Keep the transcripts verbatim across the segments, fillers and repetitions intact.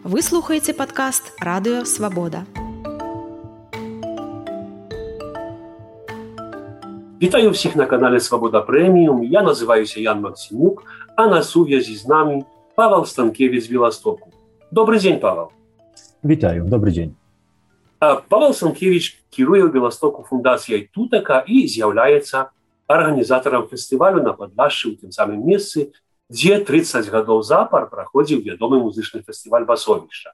Вы слухаеце падкаст «Радыё Свабода». Вітаю всіх на канале «Свобода Премиум». Я называюся Ян Максимюк, а на сувязі з нами Павел Станкевич з Білостоку. Добрый день, Павел. Вітаю, добрый день. Павел Станкевич кіруе ў Білостоку фундацыяй Тутака і з'яўляецца арганізатарам фестывалю на Падляшшы ў тым самым месцы, дзе трыццаць гадоў запар праходзіў вядомы музычны фестываль Басовішча.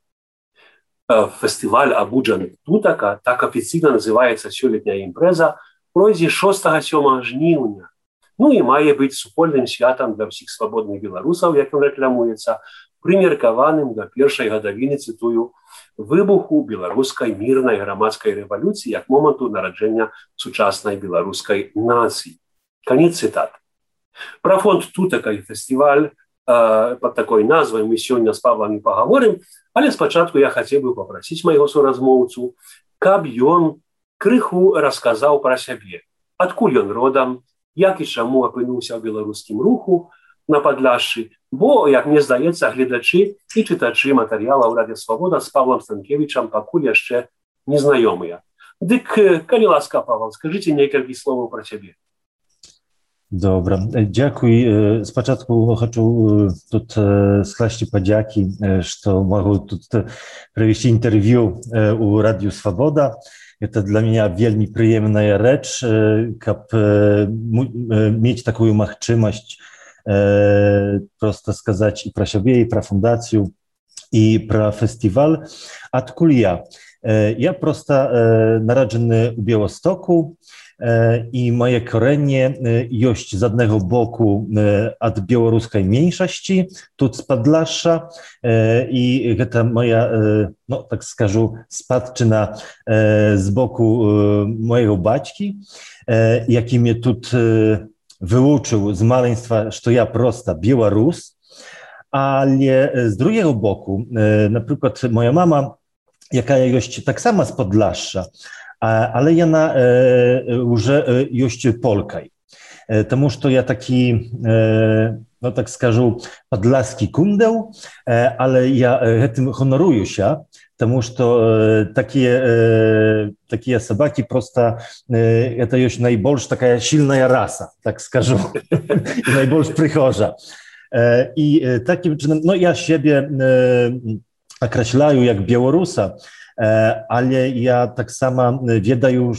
Фестываль абуджаны Тутака, так афіцыйна называецца сёлетняя імпрэза, пройдзе шостага-сёмага жніўня. Ну і мае быць супольным святам для ўсіх свабодных беларусаў, як ён рэкламуецца, прымеркаваным да першай гадавіны, цытую, выбуху беларускай мірнай грамадскай рэвалюцыі як моманту нараджэння сучаснай беларускай нацыі. Канец цытат. Пра фонд Тутака і фестываль э, пад такой назвай мы сёння з Павлам і пагаворым, але спачатку я хацеў бы папрасіць майго суразмоўцу, каб ён крыху расказаў пра сябе, адкуль ён родам, як і чаму апынуўся ў беларускім руху на Падляшшы, бо, як мне здаецца, гледачы і чытачы матэрыялаў Радыё Свабода з Павлам Станкевічам пакуль яшчэ незнаёмыя. Дык, калі ласка, Павел, скажыце некалькі словаў пра сябе. Добра, дзякуй. Спачатку хочу тут скласці падзякі, што магу тут правесці інтэрв'ю у Радыё Свабода. Это для меня вельмі прыемная рэч, каб мець такую магчымасць просто сказаць і пра сябе, і пра фундацыю, і пра фестываль. Адкуль я? Я просто нараджаны ў Білостоку, і мае карэнне ёсць з аднаго боку ад беларускай меншасці, тут з Падляшша, і гэта моя, ну, так скажу, спадчына з боку мojego бацькі, які mnie тут вывучыў з маленства, што я проста беларус, але з другого боку, напрыклад, моя мама, якая ёсць таксама з Падляшша, ale яна уже ёсць Полкай. Таму што я такі, ну так скажу, падляскі кундэў, але я гэтым ганаруюся, таму што такія, такія сабакі проста, это ёсць найбольш такая сильная раса, так скажу, і найбольш прыхожа. І такім чынам, ну я сябе акрэсляю як беларуса, ale ja tak sama ведаю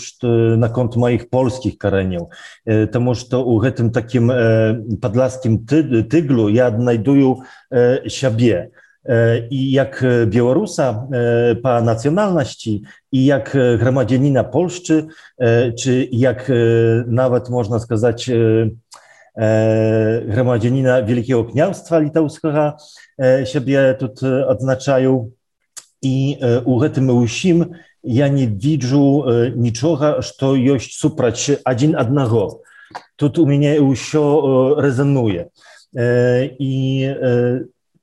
наконт моих польских коренів, тому що у гэтым таким падляшскім тыглу я аднайдую сябе і як беларуса по нацыянальнасці, і як грамадзяніна Польшчы, чи як нават можна сказаць грамадзяніна Wielkiego Kniаўstwa Літаўскага сябе тут адзначаю. І у гэтым усім я не віджу нічога, што ёсць супраць адзін аднаго. Тут у мяне ўсё рэзануе. І,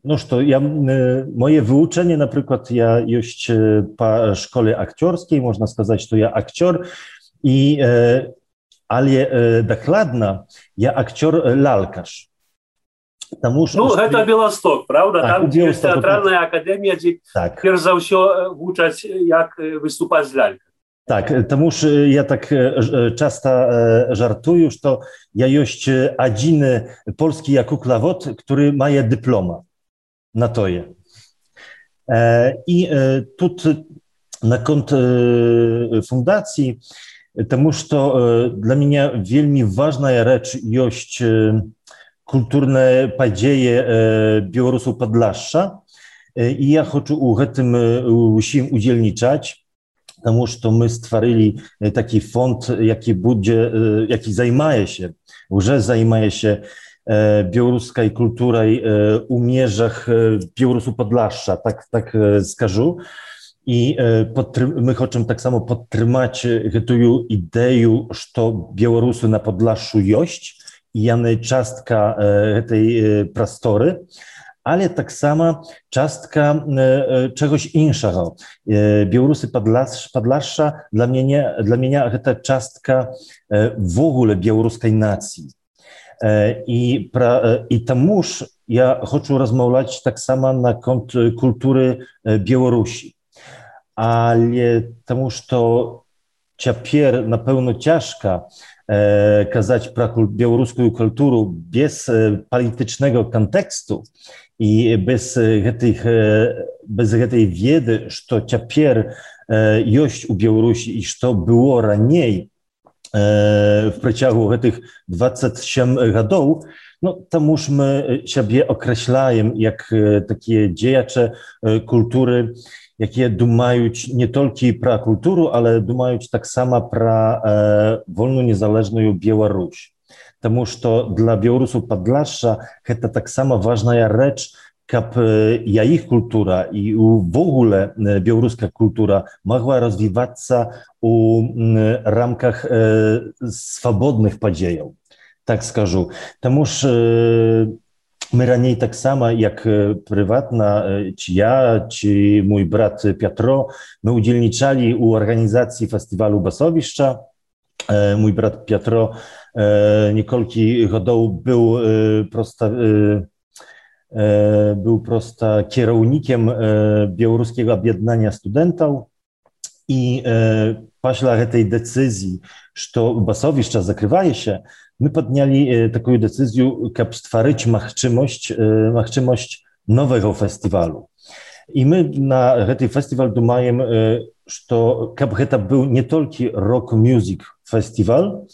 ну што, я, моje вывучэнне, напрыклад, я ёсць па школе акцёрскай, можна сказаць, што я акцёр, і, але дакладна я акцёр-лялкаш. Таму, ну, гэта Білосток, правда? Так, там ёсць тэатральная акадэмія, дзе так. Перш за ўсё вучаць, як выступаць з лялькай. Так, таму ж я так часта жартую, што я ёсць адзіны польскі куклавод, który мае дыплома на тое. І тут наконт фундацыі, таму што для мяне вельмі важная рэч ёсць kulturne падзеі беларусаў Падляшша, і я хочу у гэтым усім удзельнічаць, таму што мы стварылі такі фонд, які будзе, які займаецца, уже займаецца беларускай культурай у межах беларусаў Падляшша, так, так скажу. І мы хочам таксама падтрымаць гэтую ідэю, што беларусы на Падляшшу ёсць, яны частка гэтай прасторы, ale tak samo czastka czegoś innego. Białorusy Podlasza dla mnie, dla mnie to czastka w ogóle białoruskiej nacji. I, pra, i tamuż ja chcę rozmawiać tak samo na kont kultury Białorusi, ale tamuż to ciapier na pewno ciężka kazać про białoruską kulturę bez politycznego kontekstu i bez tej, bez tej wiedzy, że ciapier jest u Białorusi i co było raniej w przeciągu tych dwudziestu siedmiu lat, no tamuż my siebie określamy jak takie działacze kultury, jakie dumają nie tylko про kulturę, ale dumają tak samo про wolną, niezależną Białoruś. Тому что dla Białorusów Podlasza to tak samo ważna rzecz, żeby ich kultura i w ogóle białoruska kultura mogła rozwijać się w ramkach swobodnych podziejów, tak skażu. Тому że my raniej tak samo jak prywatna, czy ja, czy mój brat Piotro, my udzielniczali u organizacji festiwalu Basowiszcza. Mój brat Piotro niekolki godów był prosta, był prosta kierownikiem Białoruskiego Objednania Studentów i после tej decyzji, że Basowiszcza zakrywa się, my podjęli taką decyzję, żeby stworzyć możliwość, możliwość nowego festiwalu. I my na ten festiwal думаем, że żeby to był nie tylko rock music festiwal,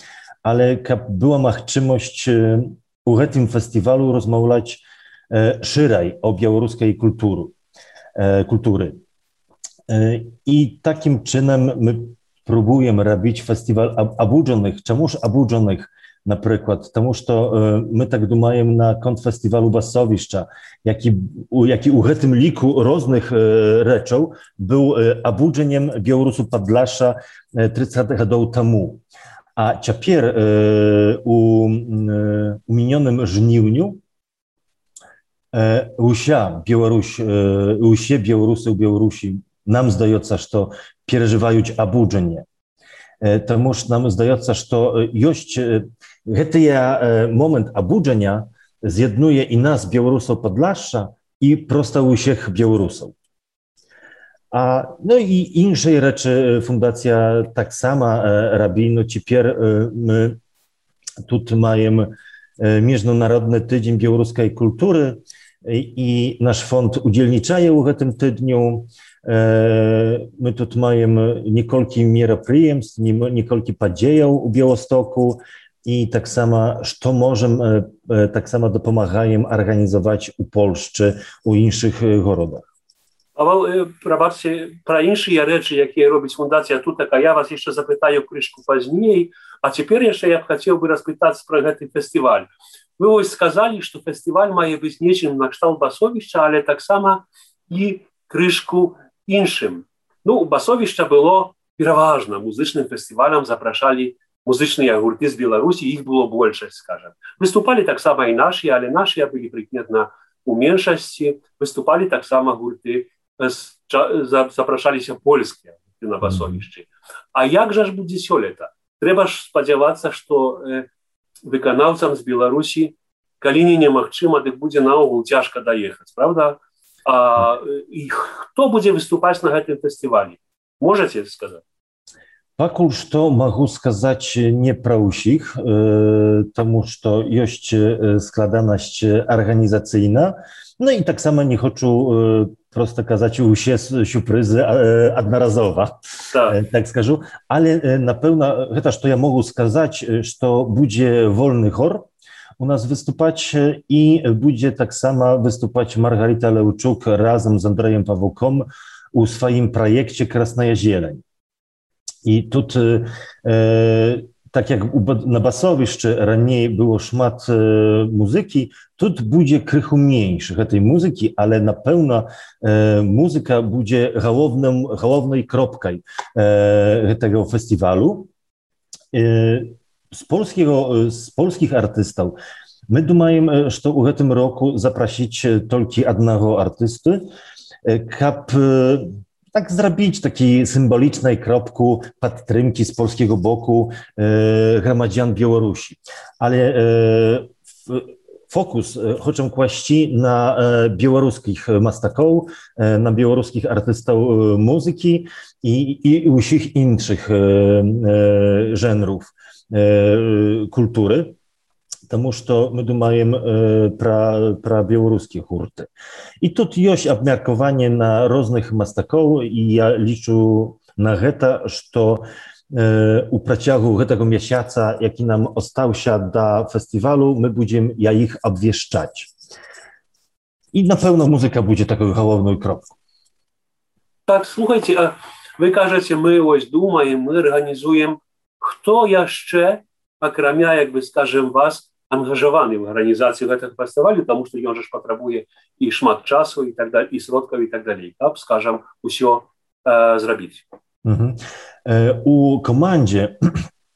ale żeby była możliwość u tym festiwalu rozmawiać szerzej o białoruskiej kultury. kultury. I takim czynem my próbujemy robić festiwal obudzonych. Czemuż obudzonych? Na przykład, тому że my tak думаем na kont festiwalu Basowiszcza, jaki, jaki u tym liku różnych rzeczy był obudzeniem Białorusów Podlasza trzydzieści lat temu. A ciapier u, u minionym żniwniu usia Białoruś, usie Białorusy u Białorusi, nam zdaje się, że przeżywają obudzenie. Тому że nam zdaje się, że jest ten moment obudzenia zjednuje i nas, Białorusów Podlasza, i prosto u wszystkich Białorusów. A, no i inne rzeczy fundacja tak sama robi. No teraz my tu mamy Międzynarodny Tydzień Białoruskiej Kultury i nasz fond udzielniczaje w tym tygodniu. My tu mamy niekolki мероприемств, niekolki podziejów u Białostoku i tak samo, co możemy, tak samo dopomagają organizować u Polsce, u innych городach. Paweł, probaczcie, про inne rzeczy, jakie robi fundacja Tuteka, ja was jeszcze zapytaję troszkę później, a teraz jeszcze ja chciałbym rozpytać про ten festiwal. Wy już сказали, że festiwal ma być niczym na kształt Basowiszcza, ale tak samo i troszkę innym. No, Basowiszcza było przeważnie muzycznym festiwalem, zapraszali muzyczne gurty z Białorusi, ich było больше, скажем. Wystupali tak samo i nasi, ale nasi byli przykładnie u mniejszości, wystupali tak samo gurty, zapraszali się polskie na Basowiszcze. A jakżeż będzie się lata? Trzeba spodziewać się, że wykonawcom z Białorusi, kiedy nie możliwe, tak będzie na ogół ciężko dojechać, prawda? A i kto będzie wystупać na tym festiwalu? Możecie сказать? Пока что могу сказать не про усих, потому что есть складанность организационна. No i tak samo nie chcę prosto kazać usie сюрпризы одноразово, tak, tak скажу, ale na pewno to, co ja mogę сказать, że będzie wolny chór u nas wystупać i będzie tak samo wystупać Margarita Leuczuk razem z Andrejem Pawłką u swoim projekcie Krasnaja Zieleń. I tu, tak jak na Basowiszczy raniej było szmat muzyki, tu będzie krychu mniejszych tej muzyki, ale na pewno muzyka będzie główną, główną kropką tego festiwalu. Z, polskiego, z polskich artystów my думаем, że w tym roku zaprosić tylko jednego artysty, żeby tak zrobić takiej symbolicznej kropku podtrzymki z polskiego boku e, gromadzian Białorusi. Ale e, fokus chcę kłaść na białoruskich mastaków, na białoruskich artystów muzyki i, i wszystkich innych żenrów kultury. Потому что мы думаем э, про, про белорусские хурты. И тут есть обмеркование на разных мастаков, и я лічу на это, что э, у протягу этого месяца, jaki nam остался до фестивалю, мы будем я их обвещать. И, напевно, музыка будет такой головной кропкой. Так, слухайте, а вы кажете, мы ось думаем, мы организуем, кто еще, акрамя, як бы, скажем, вас, ангажаваны в арганізацыі гэтага фестывалю, таму што ён жа ж патрабуе і шмат часу і так далее, і сродкаў і так далей, каб, скажам, усё э, зрабіць. Uh-huh. Э, у камандзе,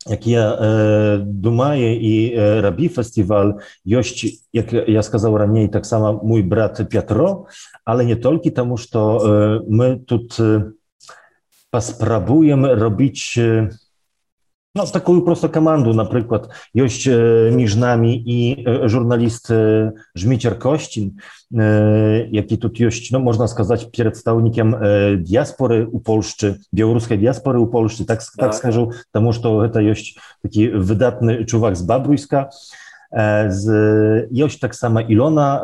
як я э, думаю і э, рабі фестываль, ёсць, як я сказаў раней, таксама mój брат Пятро, але не толькі таму, што э, мы тут э, паспрабуем робіць э, no, taką prosto komandę, na przykład jest między nami i żurnalist Żmicier Kościn, jaki tu jest, no, można сказать, przedstawicielem diaspory u Polszczy, białoruskiej diaspory u Polszczy, tak, tak, tak skażę, тому że to jest taki wydatny człowiek z Babrujska. Z, jest tak samo Ilona,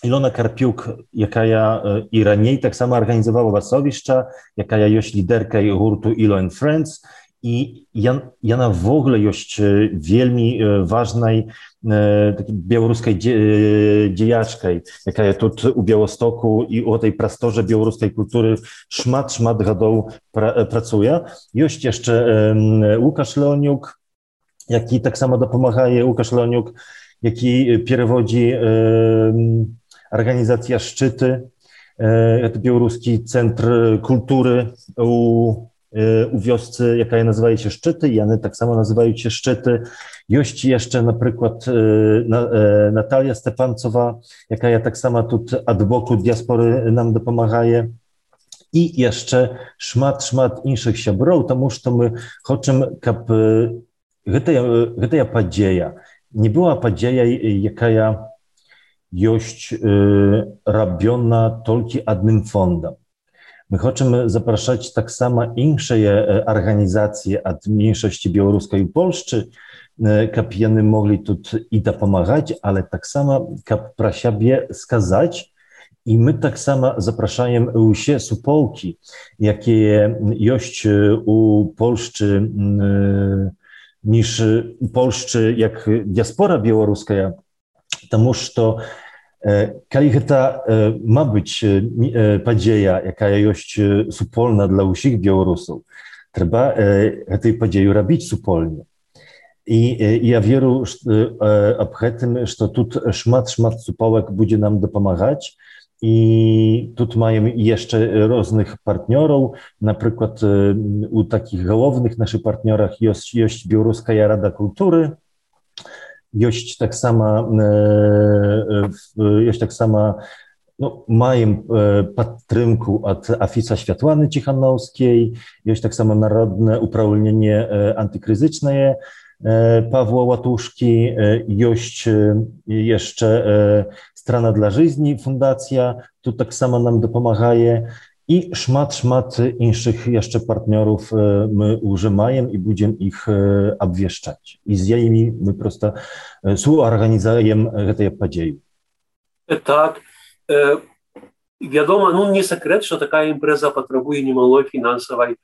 Ilona Karpiuk, jaka ja i raniej tak samo organizowała Wasowiszcza, jaka ja jest liderką hurtu Ilo and Friends. I ona w ogóle jest wielmi ważnej takiej białoruskiej dziejaczkej, jaka jest tu u Białostoku i o tej prastorze białoruskiej kultury szmat, szmat gadów pra, pracuje. Jest jeszcze Łukasz Leoniuk, jaki tak samo dopomaga, Łukasz Leoniuk, jaki przewodzi organizacja Szczyty, to białoruski centr kultury u u wiosce, jaka nazywa się Szczyty, i one tak samo nazywają się Szczyty. Jest jeszcze na przykład Natalia Stepancowa, jaka ja tak samo tu ad boku diaspory nam dopomaga. I jeszcze szmat, szmat innych siabrów, тому że my chcemy, żeby ta podzieja nie była podzieja, jaka jest robiona tylko jednym fondem. My chcemy zapraszać tak samo inne organizacje od mniejszości białoruskiej i Polszczy, żeby one mogli tu i pomagać, ale tak samo, żeby pro siebie skazać. I my tak samo zapraszamy wszystkie supołki, jakie jest u Polszczy, niż u Polszczy jak diaspora białoruska, потому что Kiedy ta ma być podzieja, jaka jest supolna dla wszystkich Białorusów, trzeba tej podziei robić supolnie. I ja wierzę w tym, że tu szmat, szmat supołek będzie nam dopomagać. I tu mamy jeszcze różnych partnerów, na przykład u takich głównych naszych partnerach jest, jest Białoruska Rada Kultury. Jest tak samo, jest tak samo, no, mają podtrzymku od Afisa Światłany Cichanowskiej, jest tak samo Narodne Uprawnienie Antykryzyczne Pawła Łatuszki, jest jeszcze Strona dla Żyzni Fundacja, tu tak samo nam dopomaga. I szmat, szmat innych jeszcze partnerów my użyjemy i będziemy ich obwieszczać. I z nimi my prosto współorganizujemy tę podziej. Tak. E, wiadomo, no nie sekret, że taka impreza potrzebuje niemałej finansowej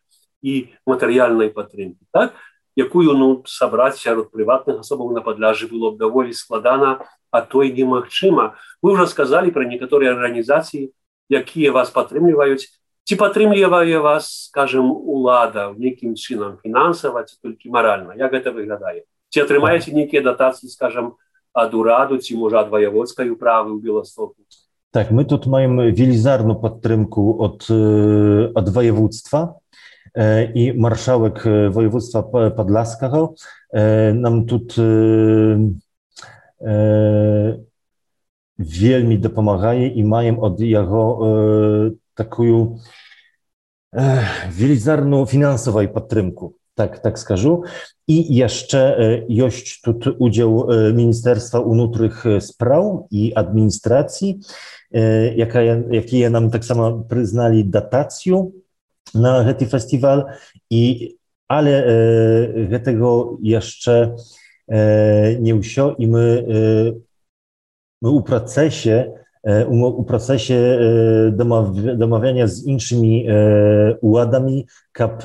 i materialnej podtrzymki, tak? Jaką no, zebrać wśród prywatnych osób na Podlaży było довольно składana, a to i niemożliwe. Wy już сказали про niektóre organizacje, jakie was podtrzymują. Czy podtrzymuje was, скажем, улада неким чином финансово, czy tylko moralnie? Jak to wygląda? Czy otrzymujecie niektóre dotacje, скажем, od uradu, czy może od wojewódzkiej uprawy w Białymstoku? Tak, my tu mamy wielizarną podtrzymkę od, od województwa i marszałek województwa podlaskiego nam tu wielmi dopomaga i mają od jego taką wielizarną finansową podtrzymkę. tak, tak скажу. I jeszcze jest tu udział Ministerstwa Внутрішніх Справ i Administracji, jaka, jakie nam tak samo przyznali dotację na ten festiwal, i, ale e, tego jeszcze e, nie usio i my, e, my u procesie u procesie domawiania z innymi uładami, kap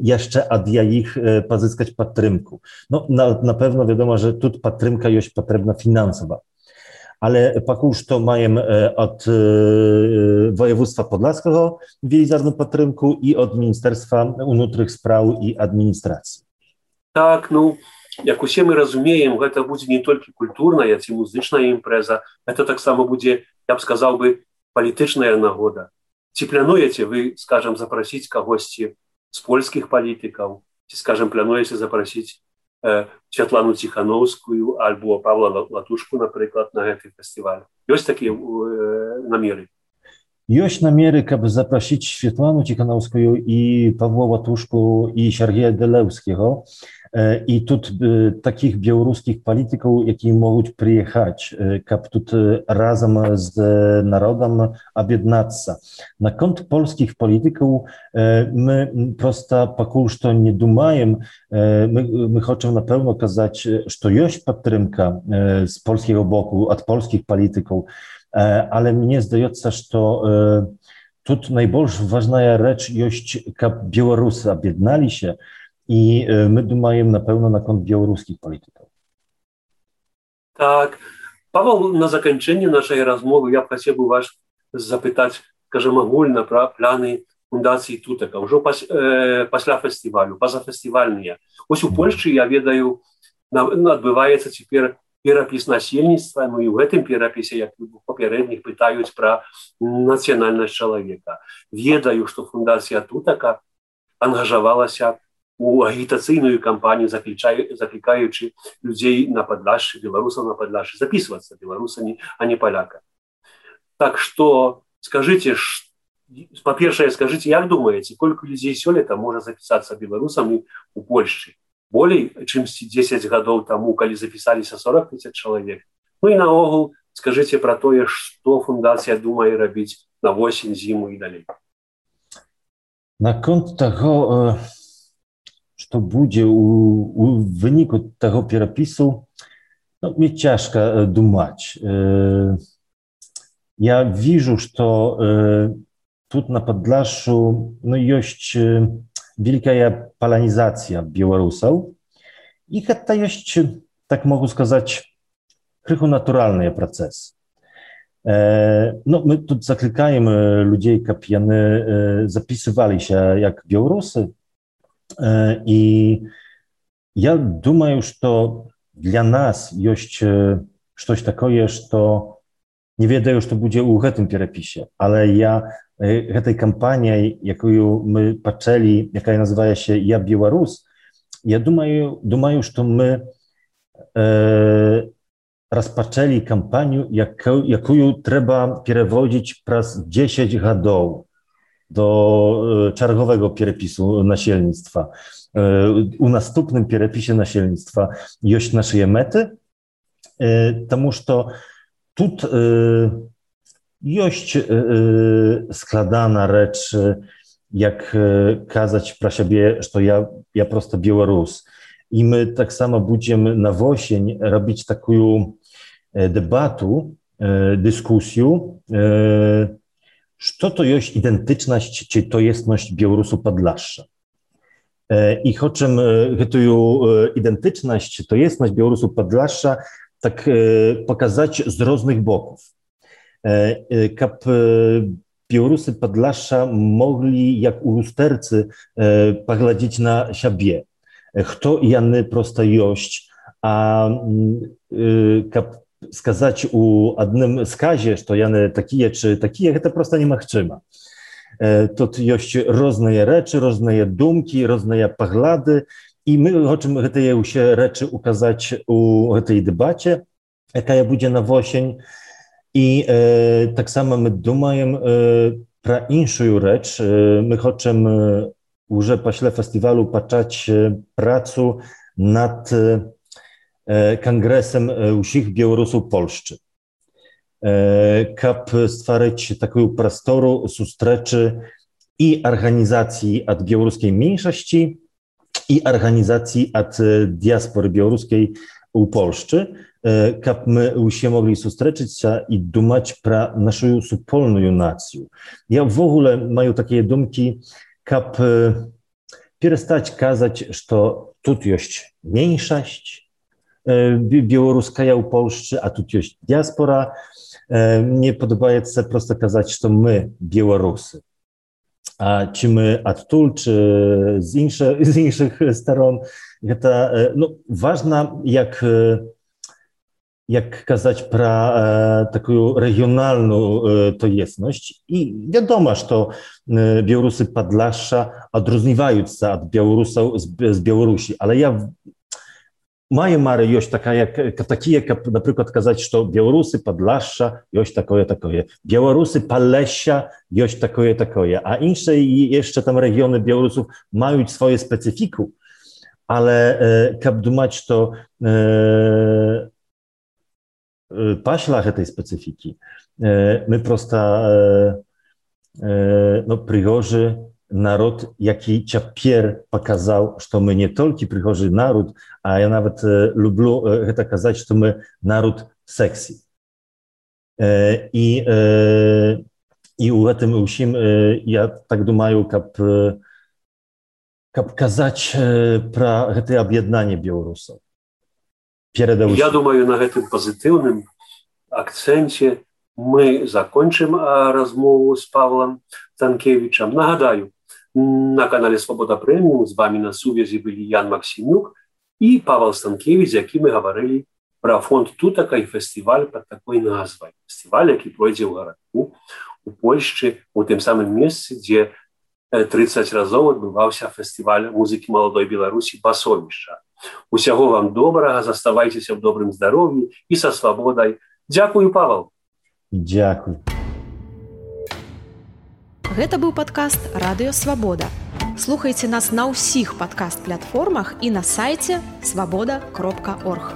jeszcze od ich pozyskać patrymku. No, na, na pewno wiadomo, że tu patrymka jest potrzebna finansowa, ale pakuż to mają od województwa podlaskiego wielizarną patrymku i od Ministerstwa Внутрішніх Справ i Administracji. Tak, no. Jak usie my rozumiejem, to będzie nie tylko kulturna, jak i muzyczna impreza, to tak samo będzie, ja bym сказал by, polityczna nagoda. Czy planujecie wy, скажем, zaprosić kogoś z polskich polityków, czy, скажем, planujecie zaprosić e, Światłanu Cichanowską albo Pawła Latuszku na przykład na ten festiwal? Jest takie e, namiery? Jest namiery, aby zaprosić Światłanu Cichanowską i Pawła Łatuszku i Siergieja Delewskiego. I tu takich białoruskich polityków, jakie mogą przyjechać, aby tu razem z narodem objednać. Na kont polskich polityków my prosto pakuż to nie dumajemy, my, my chcemy na pewno kazać, że jest patrymka z polskiego boku, od polskich polityków, ale mnie zdaje się, że to tu najbardziej ważna rzecz jest, aby Białorusy objednali się. I my dumajemy na pewno na kont białoruskich polityków. Tak. Paweł, na zakończenie naszej rozmowy ja chciałbym was zapytać, скажем, ogólne plany Fundacji Tuteka, już после festiwalu, pozafestiwalne. Ось у Польsce, ja wiedаю, odbywaється тепер перапіс насельніцтва, ну і в гэтым перапісе, як у папярэдніх, пытаюць пра нацыянальнасць чалавека. Ведаю, што Фундацыя Тутака ангажавалася у агітацыйную кампанію, заклікаючы людзей на Падляшшы, беларусаў на Падляшшы, записываться беларусамі, а не поляками. Так что скажите, по-першае, скажите, як думаете, сколько людей сёлета можа записаться беларусамі у Польшчы? Болей, чым дзесяць гадоў таму, калі запісаліся сорок тысяч чалавек. Ну і наогул скажите пра тое, што фундацыя думае рабіць на восень, зіму і далей. Наконт таго, што будзе у выніку таго перапісу, ну, мне цяжка думаць. Я вижу, што тут на Падляшшу, ну, ёсць wielka polonizacja Białorusów i to jest, tak mogę сказать, krychu naturalny proces. No, my tu zaklикаем ludzi, aby oni zapisywali się jak Białorusy i ja думаю, że dla nas jest coś takiego, że nie wiedziałem, że to będzie u tym перепиsie, ale ja tej kampanii, jaką my patrzyli, jaka nazywa się Ja Białorus, ja думаю, думаю, że my e, rozpoczęli kampanię, jaką, jaką trzeba przewodzić przez dziesięć lat do czargowego przepisu nasielnictwa. E, u następnym przepisie nasielnictwa jest nasze mety, e, тому что тут e, jest składana rzecz, jak kazać pra siebie, że ja, ja prosto Białorus. I my tak samo będziemy na wosień robić taką debatę, dyskusję, co to jest identyczność, czy to jestność Białorusu Podlasza. I chcemy tę identyczność, to jestność Białorusu Podlasza tak pokazać z różnych boków. Kap Białorusy Podlasza mogli jak u lustercy pogładzić na siebie. Kto jany prosto jość, a kap skazać u jednym skazie, że jany takie czy takie, to prosto nie ma chczyma. To jość różne rzeczy, różne dumki, różne poglądy i my chcemy te rzeczy ukazać u tej debacie, jaka będzie na wosień. I e, tak samo my думаем e, про inną rzecz. E, my chcemy уже пасля фестывалю пачаць працу над кангрэсам усіх беларусаў Польшчы, каб стварыць такую прастору сустрэчы і арганізацыі ад беларускай меншасці і арганізацыі ад дыяспоры беларускай у Польшчы, каб мы усе могли сустрэчыцца і думаць пра нашу супольную нацыю. Я ўвогуле маю такія думкі, каб перестаць казаць, што тут ёсць меншасць беларуская ў Польшчы, а тут ёсць дыяспора. Мне падабаецца проста казаць, што мы беларусы. А ці мы адтуль, чи з іншых, з іншых сторон, гэта ну, важна, як, як казаць пра такую рэгіональную тоеснасць. І вядома, што беларусы Падляшша адрозніваюцца ад беларусаў з Беларусі, але я мае мары ёсць такая, такія, каб, напрыклад, казаць, што беларусы Падляшша ёсць такое-такое, беларусы Палесся ёсць такое-такое, а іншыя яшчэ там рэгіёны беларусаў маюць свою спецыфіку, але каб думаць, што э, пасля гэтай спецыфікі э, мы проста э, э, ну, прыгожы народ, які цяпер паказаў, што мы не толькі прыгожы народ, а я нават э, люблю э, гэта казаць, што мы народ сексі. Э, і, э, і ў гэтым усім э, я так думаю, каб, э, каб казаць э, пра гэтае аб'яднанне беларусаў. Я думаю, на гэтым пазітыўным акцэнце мы закончым размову з Павлом Станкевичем. Нагадаю, на канале Свобода Преміум з вами на сувязі былі Ян Максимюк і Павел Станкевич, з якім мы гаварылі пра фонд Тутака і фестываль пад такой назвай. Фестываль, які пройдзе ў гарадку у Польшчы, у тым самым месцы, дзе трыццаць разоў адбываўся фестываль музыкі маладой Беларусі Басовішча. Усяго вам добрага, заставайцеся ў добрым здароўі і са свабодай. Дзякую, Павел. Дзякуй. Гэта быў падкаст «Радыё Свабода». Слухайце нас на ўсіх падкаст-платформах і на сайце свабода кропка орг.